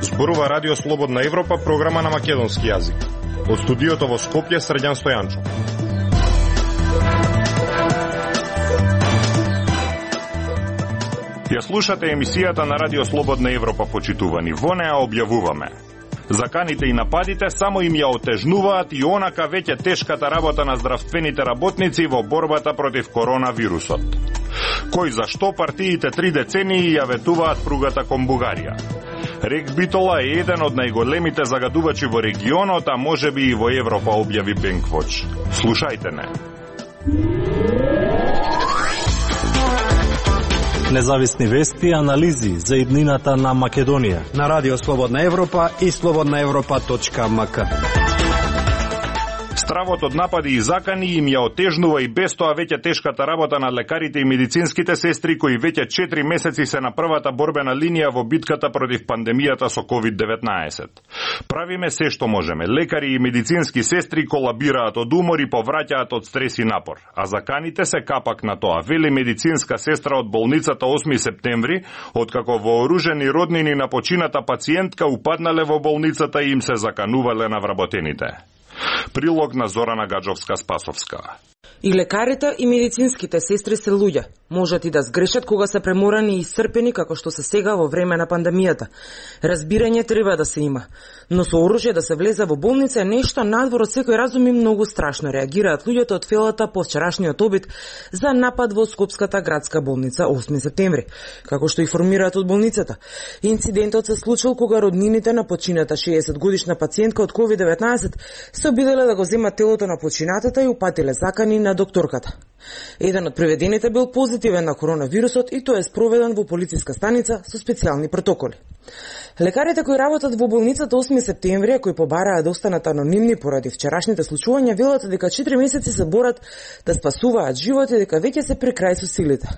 Зборува Радио Слободна Европа, програма на македонски јазик. Од студиото во Скопје, Срđan Стојанчо. Ја слушате емисијата на Радио Слободна Европа, почитувани. Во неа објавуваме: заканите и нападите само им ја отежнуваат и онака веќе тешката работа на здравствените работници во борбата против коронавирусот. Кој зашто партиите 3 децении ја ветуваат пругата кон Бугарија. Рек Битола е еден од најголемите загадувачи во регионот, а можеби и во Европа, објави Бенквоч. Слушајте не. Независни вести и анализи за иднината на Македонија на Радио Слободна Европа и slobodnaevropa.mk. Стравот од напади и закани им ја отежнува и без тоа веќе тешката работа на лекарите и медицинските сестри, кои веќе 4 месеци се на првата борбена линија во битката против пандемијата со COVID-19. Правиме се што можеме. Лекари и медицински сестри колабираат од умор и повраќаат од стрес и напор. А заканите се капак на тоа, вели медицинска сестра од болницата 8 септември, откако вооружени роднини на почината пациентка упаднале во болницата и им се заканувале на вработените. Прилог на Зорана Гаджовска-Спасовска. И лекарите и медицинските сестри се луѓе. Можат и да сгрешат кога се преморани и исцрпени како што се сега во време на пандемијата. Разбирање треба да се има, но со оружје да се влезе во болница е нешто надвор од секој разум и многу страшно, реагираат луѓето од Фелата по вчерашниот обид за напад во Скопската градска болница 8 септември. Како што информираат од болницата, инцидентот се случил кога роднините на почината 60-годишна пациентка од COVID-19 се обиделе да го земат телото на починатата и упатиле закани на докторката. Еден од приведените бил позитивен на коронавирусот и тој е спроведен во полициска станица со специјални протоколи. Лекарите кои работат во болницата 8 септември, кои побараа да останат анонимни поради вчерашните случувања, велат дека 4 месеци се борат да спасуваат животи и дека веќе се при крај со силите.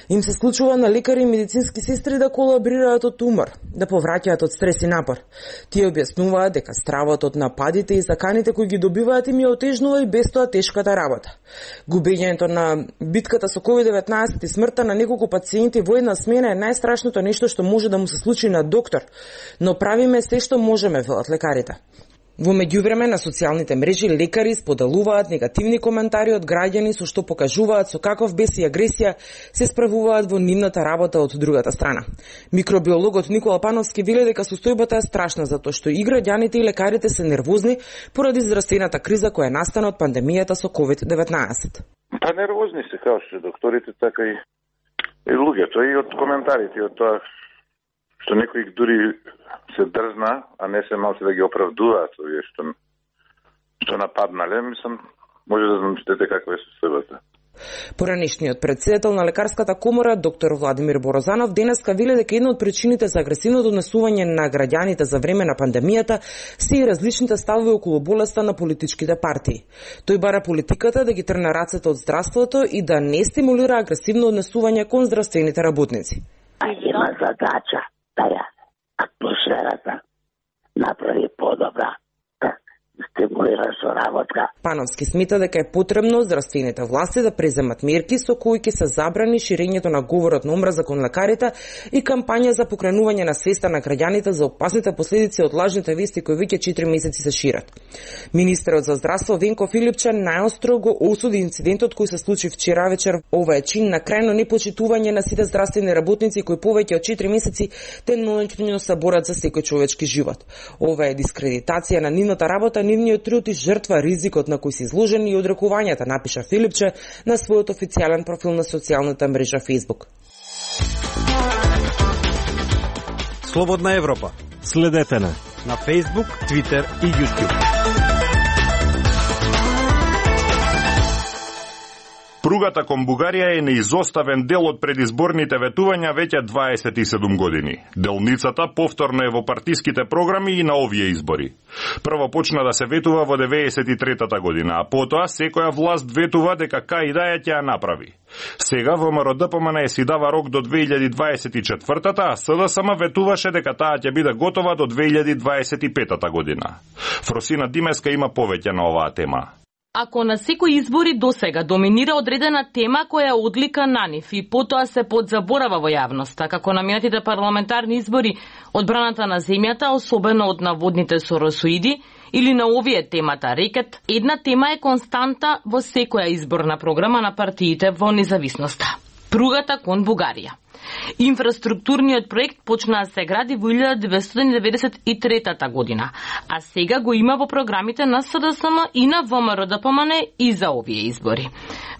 Им се случува на лекари и медицински сестри да колаборираат од умор, да повраќаат од стрес и напор. Тие објаснуваат дека стравот од нападите и заканите кои ги добиваат им ја отежнува и без тоа тешката работа. Губењето на битката со COVID-19 и смртта на неколку пациенти во една смена е најстрашното нешто што може да му се случи на доктор, но правиме се што можеме, велат лекарите. Во меѓувреме на социјалните мрежи лекари споделуваат негативни коментари од граѓани со што покажуваат со каков бес и агресија се справуваат во нивната работа од другата страна. Микробиологот Никола Пановски вели дека состојбата е страшна затоа што и граѓаните и лекарите се нервозни поради здравствената криза која настана од пандемијата со COVID-19. Па нервозни се како што докторите, така и луѓето, и од коментарите, и од тоа што некои дури се дрзна, а не се малце да ги оправдуваат овие што нападнале, мислам, може да замислите каква е состојбата. Поранешниот претседател на лекарската комора, доктор Владимир Борозанов, денеска вели дека една од причините за агресивното однесување на граѓаните за време на пандемијата се и различните ставови околу болеста на политичките партии. Тој бара политиката да ги трне рацете од здравството и да не стимулира агресивно однесување кон здравствените работници. А има задача да ја атмосферата направи подобра, да стимулира со работа. Пановски смета дека е потребно здравствените власти да преземат мерки со кои ќе се забрани ширењето на говорот на омраза кон лекарите и кампања за покренување на свеста на граѓаните за опасните последици од лажните вести кои веќе 4 месеци се шират. Министерот за здравство Венко Филипче најостро го осуди инцидентот кој се случи вчера вечер. Ова е чин на крајно непочитување на сите здравствени работници кои повеќе од 4 месеци деноноќно се борат за секој човечки живот. Ова е дискредитација на нивната работа, нивниот труд и жртва ризикот на кој се изложени и одрекувањата, напиша Филипче на својот официјален профил на социјалната мрежа Facebook. Слободна Европа. Следете на Facebook, Twitter и YouTube. Пругата кон Бугарија е неизоставен дел од предизборните ветувања веќе 27 години. Делницата повторно е во партиските програми и на овие избори. Прво почна да се ветува во 93-та година, а потоа секоја власт ветува дека кај да ја ќе ја направи. Сега ВМРО-ДПМН си дава рок до 2024-та, а СДСМ ветуваше дека таа ќе биде готова до 2025-та година. Фросина Димеска има повеќе на оваа тема. Ако на секои избори досега доминира одредена тема која е одлика на нив и потоа се подзаборава во јавноста, како на минатите парламентарни избори, одбраната на земјата, особено од наводните соросоиди, или на овие темата рекет, една тема е константа во секоја изборна програма на партиите во независноста. Пругата кон Бугарија. Инфраструктурниот проект почна да се гради во 1993 година, а сега го има во програмите на СДСМ и на ВМРО-ДПМН и за овие избори.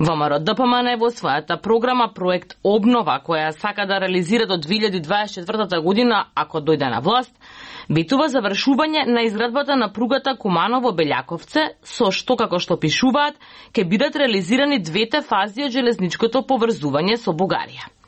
ВМРО-ДПМН во својата програма проект Обнова, која сака да реализира до 2024 година, ако дојде на власт, ветува завршување на изградбата на пругата Куманово-Белјаковце, со што, како што пишуваат, ќе бидат реализирани двете фази од железничкото поврзување со Бугарија.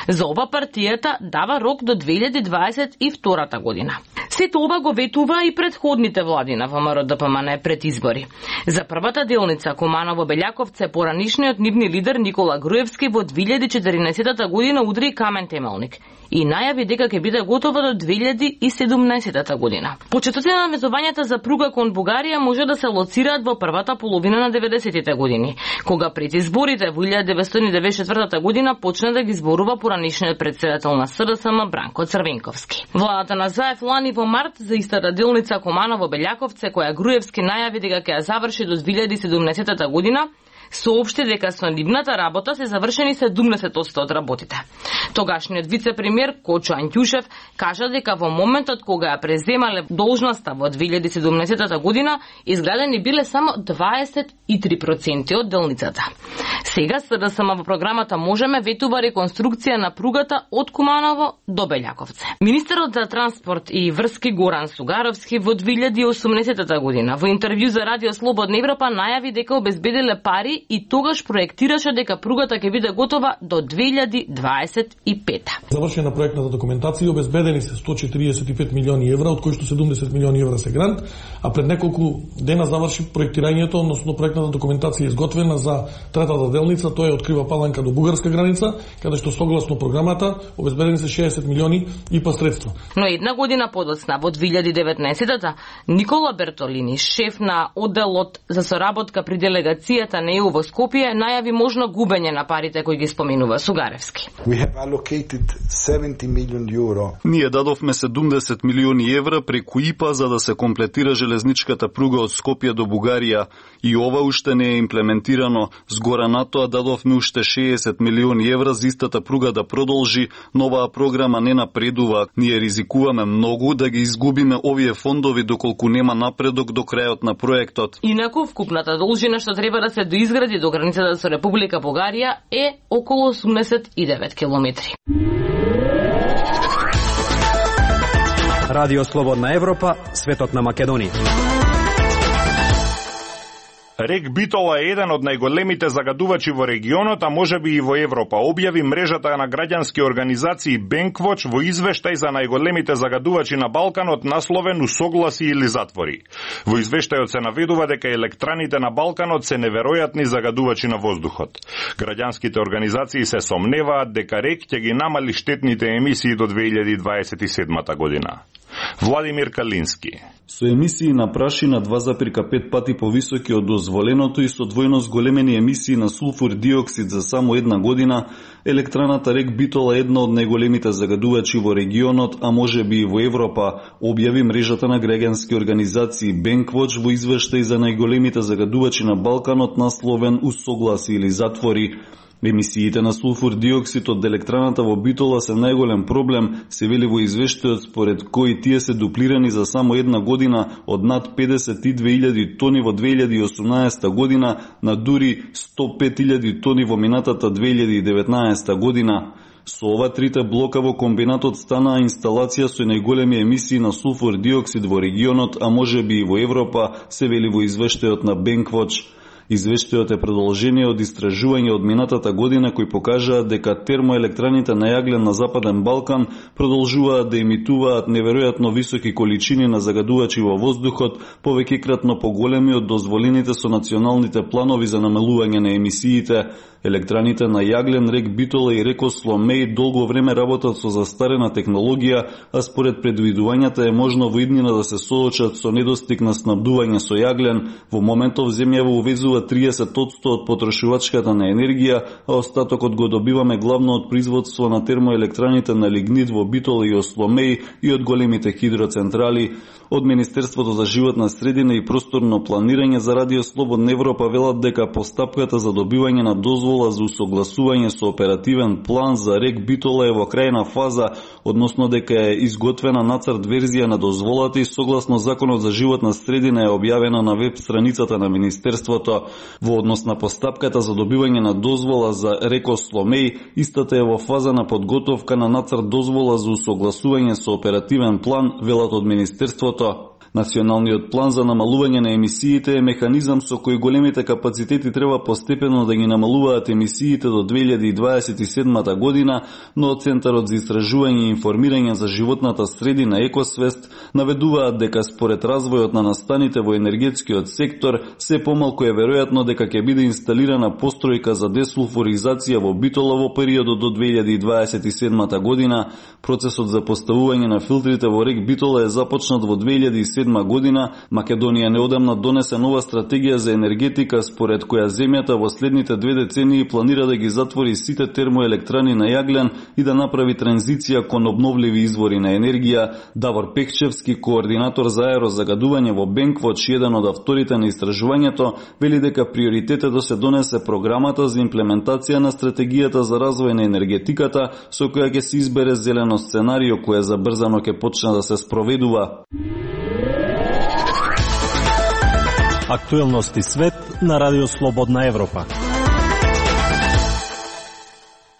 За ова партијата дава рок до 2022 година. Сето ова го ветува и предходните влади на ВМРО-ДПМН пред избори. За првата делница Куманово-Белјаковце поранишниот нивни лидер Никола Груевски во 2014 година удри камен темелник и најави дека ќе биде готова до 2017 година. Почетоците на навезувањата за пруга кон Бугарија може да се лоцираат во првата половина на 90-тите години, кога пред изборите во 1994 година почна да ги зборува поранишниот председател на СДСМ Бранко Црвенковски. Владата на Заев лани во март за истата делница Куманово-Белјаковце, која Груевски најави дека ќе ја заврши до 2017 година, соопшти дека со нивната работа се завршени 70% од работите. Тогашниот вице-премиер Кочо Антјушев кажа дека во моментот кога ја преземале должноста во 2017 година, изградени биле само 23% од делницата. Сега СДСМ во програмата Можеме ветува реконструкција на пругата од Куманово до Белјаковце. Министерот за транспорт и врски Горан Сугаровски во 2018 година во интервју за Радио Слободна Европа најави дека обезбедиле пари и тогаш проектираше дека пругата ќе биде готова до 2025. Завршена проектната документација, обезбедени се 145 милиони евра, од кои што 70 милиони евра се грант, а пред неколку дена заврши проектирањето, односно проектната документација изготвена за третата делница, тоа е од Крива Паланка до бугарска граница, каде што согласно програмата обезбедени се 60 милиони ИПА средства. Но една година подоцна, во 2019-та, Никола Бертолини, шеф на одделот за соработка при делегацијата на ЕУ во Скопје, најави можно губење на парите кои ги споменува Сугаревски. Ние дадовме 70 милиони евра преку ИПА за да се комплетира железничката пруга од Скопје до Бугарија и ова уште не е имплементирано. Згора на тоа дадовме уште 60 милиони евра за истата пруга да продолжи, но оваа програма не напредува. Ние ризикуваме многу да ги изгубиме овие фондови доколку нема напредок до крајот на проектот. Инаку вкупната должина што треба да се доизгради до границата со Република Бугарија е околу 89 километри. Радио Слободна Европа, светот на Македонија. Рек Битола е еден од најголемите загадувачи во регионот, а можеби и во Европа, објави мрежата на граѓански организации Бенквоч во извештај за најголемите загадувачи на Балканот насловен "Усогласи или затвори". Во извештајот се наведува дека електраните на Балканот се неверојатни загадувачи на воздухот. Граѓанските организации се сомневаат дека рек ќе ги намали штетните емисии до 2027 година. Владимир Калински. Со емисии на прашина 2,5 пати повисоки од дозволеното и со двојно зголемени емисии на сулфур диоксид за само една година, електраната рек Битола е една од најголемите загадувачи во регионот, а можеби и во Европа, објави мрежата на граѓански организации Бенквоч во извештај за најголемите загадувачи на Балканот насловен "Усогласи или затвори". Емисиите на сулфур диоксид од електраната во Битола се најголем проблем, се вели во извештајот, според кои тие се дуплирани за само една година од над 52.000 тони во 2018 година на дури 105.000 тони во минатата 2019 година. Со ова трите блока во комбинатот станаа инсталација со најголеми емисии на сулфур диоксид во регионот, а можеби и во Европа, се вели во извештајот на Бенквоч. Извештајот е продолжение од истражување од минатата година кои покажаат дека термоелектраните на јаглен на Западен Балкан продолжуваат да емитуваат неверојатно високи количини на загадувачи во воздухот, повеќекратно поголеми од дозволените со националните планови за намалување на емисиите. Електраните на јаглен рек Битола и рекот Сломеј долго време работат со застарена технологија, а според предвидувањата е можно во иднина да се соочат со недостиг на снабдување со јаглен. Во моментов земјава увезува добива 30% од потрошувачката на енергија, а остатокот го добиваме главно од производство на термоелектраните на лигнит во Битола и Осломеј и од големите хидроцентрали. Од Министерството за животна средина и просторно планирање за Радио Слободна Европа велат дека постапката за добивање на дозвола за усогласување со оперативен план за рек Битола е во крајна фаза, односно дека е изготвена нацрт верзија на дозволата и согласно Законот за животна средина е објавена на веб страницата на Министерството. Во однос на постапката за добивање на дозвола за рек Осломеј, истата е во фаза на подготовка на нацрт дозвола за усогласување со оперативен план, велат од Министерството. Националниот план за намалување на емисиите е механизам со кој големите капацитети треба постепено да ги намалуваат емисиите до 2027 година, но Центарот за истражување и информирање за животната средина Екосвест наведуваат дека според развојот на настаните во енергетскиот сектор, се помалку е веројатно дека ќе биде инсталирана постројка за десулфуризација во Битола во периодот до 2027 година. Процесот за поставување на филтрите во рек Битола е започнат во 2007 година. Македонија неодамна донесе нова стратегија за енергетика, според која земјата во следните 2 децении планира да ги затвори сите термоелектрани на јаглен и да направи транзиција кон обновливи извори на енергија. Давор Пекчевски, координатор за аерозагадување во Бенквоч, еден од авторите на истражувањето, вели дека приоритет е да се донесе програмата за имплементација на стратегијата за развој на енергетиката, со која ќе се избере зелено сценарио кое забрзано ќе почне да се спроведува. Актуелности свет на Радио Слободна Европа.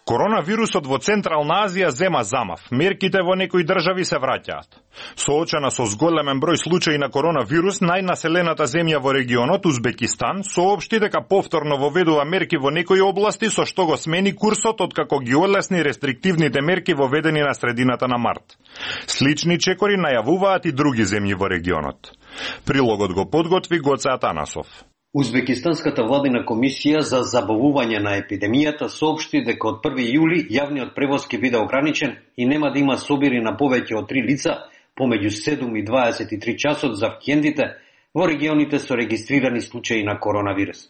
Коронавирусот во Централна Азија зема замав. Мерките во некои држави се враќаат. Соочена со зголемен број случаи на коронавирус, најнаселената земја во регионот, Узбекистан, соопшти дека повторно воведува мерки во некои области, со што го смени курсот откако ги олесни рестриктивните мерки воведени на средината на март. Слични чекори најавуваат и други земји во регионот. Прилогот го подготви Гоце Атанасов. Узбекистанската владина комисија за забавување на епидемијата соопшти дека од 1 јули јавниот превоз ќе биде ограничен и нема да има собири на повеќе од 3 лица помеѓу 7 и 23 часот за викендите во регионите со регистрирани случаи на коронавирус.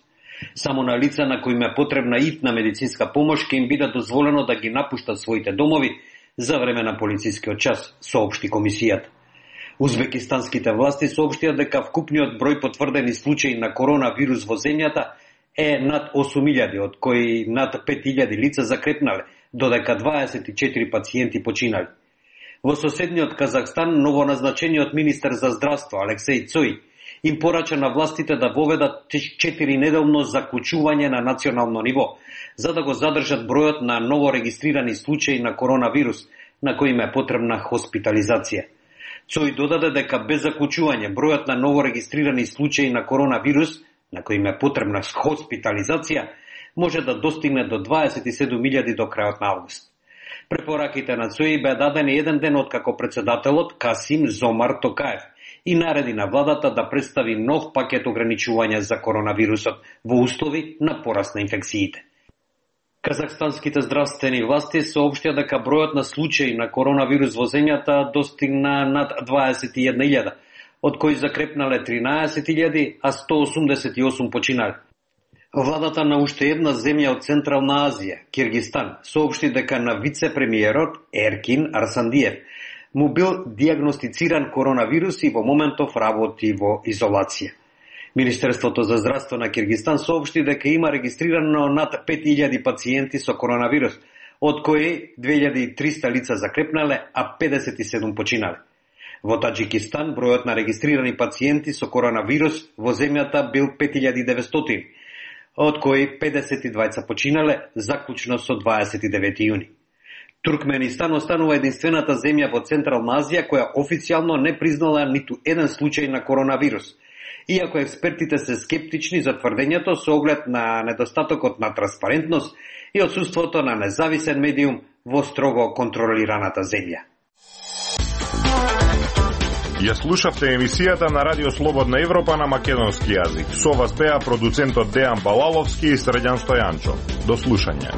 Само на лица на кои е потребна итна медицинска помош ќе им биде дозволено да ги напуштат своите домови за време на полицискиот час, соопшти комисијата. Узбекистанските власти соопштија дека вкупниот број потврдени случаи на коронавирус во земјата е над 8.000, од кои над 5.000 лица закрепнале, додека 24 пациенти починали. Во соседниот Казахстан, новоназначениот министер за здравство Алексеј Цој им порача на властите да воведат 4-неделно заклучување на национално ниво, за да го задржат бројот на новорегистрирани случаи на коронавирус, на кои им е потребна хоспитализација. Цој додаде дека без заклучување бројот на новорегистрирани случаи на коронавирус, на кои им е потребна хоспитализација, може да достигне до 27.000 до крајот на август. Препораките на Цој беа дадени еден ден откако председателот Касим Зомар Токаев и нареди на владата да представи нов пакет ограничувања за коронавирусот во услови на пораст на инфекциите. Казахстанските здравствени власти соопштија дека бројот на случаи на коронавирус во земјата достигна над 21.000, од кои закрепнале 13.000, а 188 починали. Владата на уште една земја од Централна Азија, Киргистан, соопшти дека на вице-премиерот Еркин Арсандиев му бил диагностициран коронавирус и во моментов работи во изолација. Министерството за здравство на Киргистан соопшти дека има регистрирано над 5000 пациенти со коронавирус, од кои 2300 лица закрепнале, а 57 починале. Во Таџикистан бројот на регистрирани пациенти со коронавирус во земјата бил 5900, од кои 52 починале, заклучно со 29 јуни. Туркменистан останува единствената земја во Централна Азија која официјално не признала ниту еден случај на коронавирус, иако експертите се скептични за тврдењето со оглед на недостатокот на транспарентност и отсуството на независен медиум во строго контролираната земја. Ја слушавте емисијата на Радио Слободна Европа на македонски јазик. Со вас беа продуцентот Дејан Балаловски и Средјан Стојанчо. До слушање.